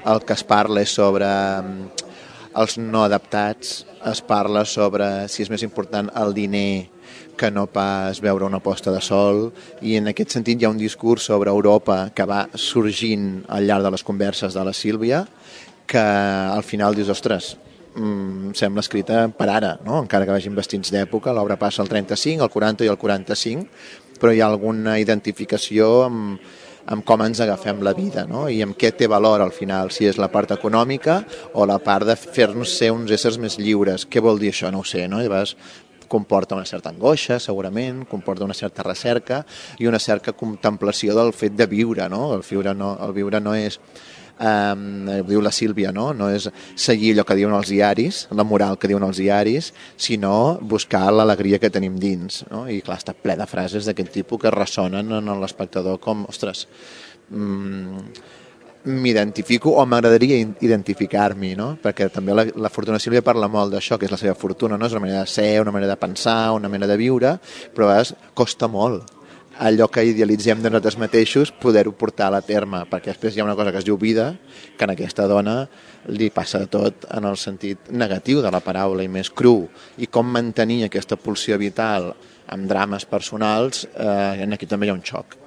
el que es parla és sobre els no adaptats, es parla sobre si és més important el diner que no pas veure una posta de sol, i en aquest sentit hi ha un discurs sobre Europa que va sorgint al llarg de les converses de la Sílvia, que al final dius, ostres, sembla escrita per ara, no? Encara que vagin vestits d'època, l'obra passa al 35, al 40 i al 45, però hi ha alguna identificació amb com ens agafem la vida, no? I amb què té valor al final, si és la part econòmica o la part de fer-nos ser uns éssers més lliures. Què vol dir això? No ho sé, no? Llavors comporta una certa angoixa, segurament, comporta una certa recerca i una certa contemplació del fet de viure, no? El viure no és, diu la Sílvia, no? No és seguir allò que diuen els diaris, la moral que diuen els diaris, sinó buscar l'alegria que tenim dins, no? I clar, està ple de frases d'aquest tipus que ressonen en l'espectador com, ostres, m'identifico o m'agradaria identificar-m'hi, no? Perquè també la Fortuna Sílvia parla molt d'això, que és la seva fortuna, no? És una manera de ser, una manera de pensar, una manera de viure, però a vegades costa molt allò que idealitzem de nosaltres mateixos poder-ho portar a la terme, perquè després hi ha una cosa que es diu vida, que en aquesta dona li passa tot en el sentit negatiu de la paraula i més cru, i com mantenir aquesta pulsió vital amb drames personals, aquí també hi ha un xoc.